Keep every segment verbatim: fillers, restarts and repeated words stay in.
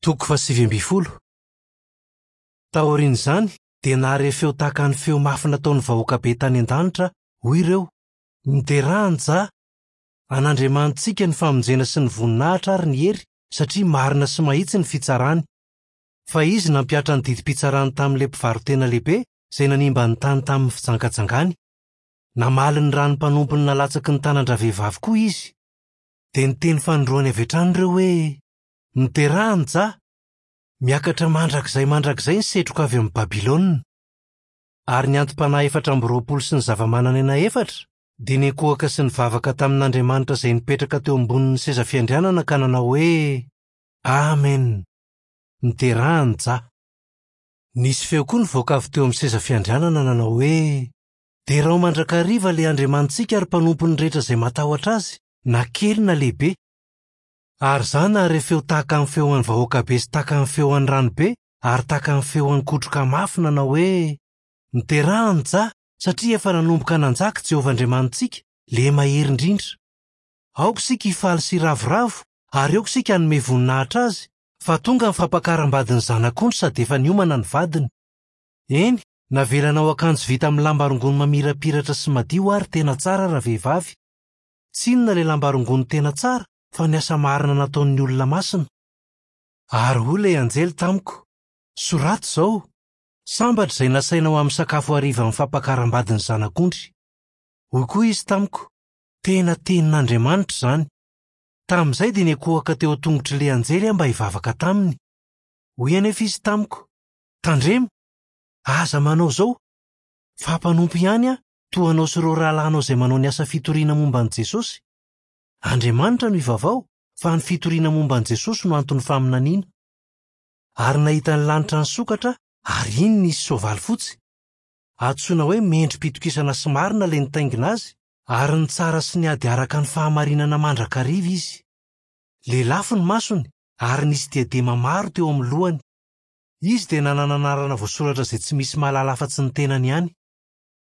Toko fahasivy ambin'ny folo. Taorian'izany dia nahare feo tahaka ny feo mafy nataon'ny vahoaka be tany an-danitra, hoy ireo: Miderà an'i Jah! An'Andriamanitsika ny famonjena sy ny voninahitra ary ny hery, satria marina sy mahitsy ny fitsarany. Fa izy nampihatra ny didim-pitsarany tamin'ilay mpivaro-tena lehibe izay nanimba ny tany tamin'ny fijangajangany. Namaly ny ran'ny mpanompony nalatsaky ny tanan-dravehivavy koa izy. Dia niteny fanindroany avy hatrany ireo hoe: Miderà an'i Jah! Miakatra mandrakizay mandrakizay ny setroka avy amin'i Babylona. Ary ny anti-panahy efatra amby roapolo sy ny zava-manan'aina efatra dia niankohoka sy nivavaka tamin'Andriamanitra izay nipetraka teo ambonin'ny seza fiandrianana ka nanao hoe: Amen! Miderà an'i Jah! Nisy feo koa nivoaka avy teo amin'ny seza fiandrianana nanao hoe: Derao mandrakariva ilay Andriamanitsika ary mpanompony rehetra izay matahotra azy, na kely na lehibe. Ary izaho nahare feo tahaka ny feon'ny vahoaka be sy tahaka ny feon'ny ranobe ary tahaka ny feon'ny kotroka mafy nanao hoe: Miderà an'i Jah, satria efa nanomboka nanjaka Jehovah Andriamanitsika, ilay mahery indrindra. Aoka isika hifaly sy hiravoravo ary aoka isika hanome voninahitra azy, fa tonga ny fampakaram-badin'ny zanak'ondry sady efa niomana ny vadiny. Eny, navelanao akanjo vita amin'ny lamba rongony mamirapiratra sy madio ary tena tsara ravehivavy. Tsy inona ilay lamba rongony tena tsara fa ny asa marina nataon'ny olona masina. Ary hoy ilay anjely tamiko: Soraty izao, sambatra izay nasaina ho amin'ny sakafo hariva amin'ny fampakaram-badin'ny zanak'ondry. Hoy koa izy tamiko: Tena tenin'Andriamanitra izany. Tamin'izay dia niankohoka teo an-tongotr'ilay anjely aho mba hivavaka taminy. Hoy anefa izy tamiko: Tandremo, aza manao izao, fa mpanompo ihany aho, toa anao sy ireo rahalahinao izay manao ny asa fitoriana momba an'i Jesosy. Andriamanitra no ivavao, fa ny fitoriana momba an'i Jesosy no anton'ny faminaniana. Ary nahita ny lanitra nisokatra ary iny nisy soavaly fotsy. Antsoina hoe mendri-pitokisana sy marina ilay nitaingina azy, ary ny tsara sy ny ady araka ny fahamarinana mandrakariva izy. Lelafo ny masony ary nisy diadema maro teo amin'ny lohany. Izy dia nanana anarana voasoratra izay tsy misy mahalala afa-tsy ny tenany ihany.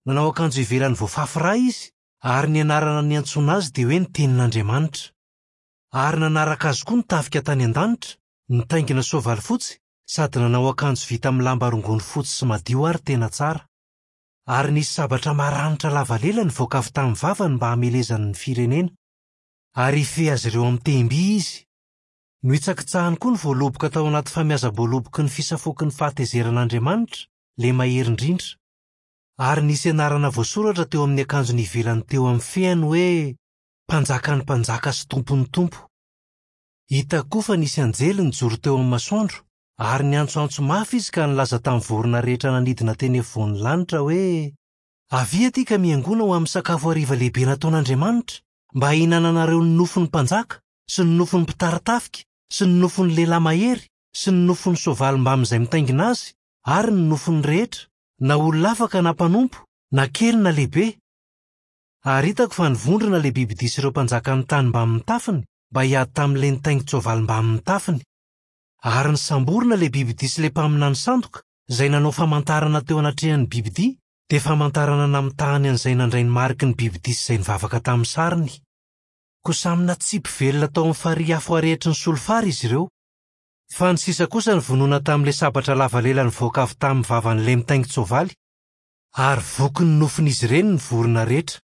Nanao akanjo ivelany voafafy rà izy, ary ny anarana niantsoana azy dia hoe ny tenin'Andriamanitra. Ary nanaraka azy koa ny tafika tany an-danitra, nitaingina soavaly fotsy, sady nanao akanjo vita amin'ny lamba rongony fotsy sy madio ary tena tsara. Ary nisy sabatra maranitra lava lela nivoaka avy tamin'ny vavany mba hamelezany ny firenena. Ary hifehy azy ireo amin'ny tehim-by izy. Nohitsakitsahany koa ny voaloboka tao anaty famiazam-boaloboky ny fisafoaky ny fahatezeran'Andriamanitra, ilay mahery indrindra. Ary nisy anarana voasoratra teo amin'ny akanjony ivelany teo amin'ny fehiny hoe: Mpanjakan'ny mpanjaka sy tompon'ny tompo. Hita koa fa nisy anjely nijoro teo amin'ny masoandro, ary niantsoantso mafy izy ka nilaza tamin'ny vorona rehetra nanidina teny afovoan'ny lanitra hoe: Avia aty ka miangona ho amin'ny sakafo hariva lehibe nataon'Andriamanitra, mba hihinananareo ny nofon'ny mpanjaka sy ny nofon'ny mpitari-tafika sy ny nofon'ny lehilahy mahery sy ny nofon'ny soavaly mbamin'izay mitaingina azy ary ny nofon'ny rehetra, na olona afaka na mpanompo, na kely na lehibe. Ary hitako fa nivondrona ilay bibidia sy ireo mpanjakan'ny tany mbamin'ny tafiny mba hiady tamin'ilay nitaingin-tsoavaly mbamin'ny tafiny. Ary nisamborina ilay bibidia sy ilay mpaminany sandoka izay nanao famantarana teo anatrehan'ny bibidia, dia famantarana namitahany an'izay nandray ny mariky ny bibidia sy izay nivavaka tamin'ny sariny. Koa samy natsipy velona tao amin'ny farihy afo arehitry ny solifara izy ireo. Fa ny sisa kosa nivonoana tamin'ilay sabatra lava lela nivoaka avy tamin'ny vavan'ilay mitaingin-tsoavaly, ary voky ny nofon'izy ireny ny vorona rehetra.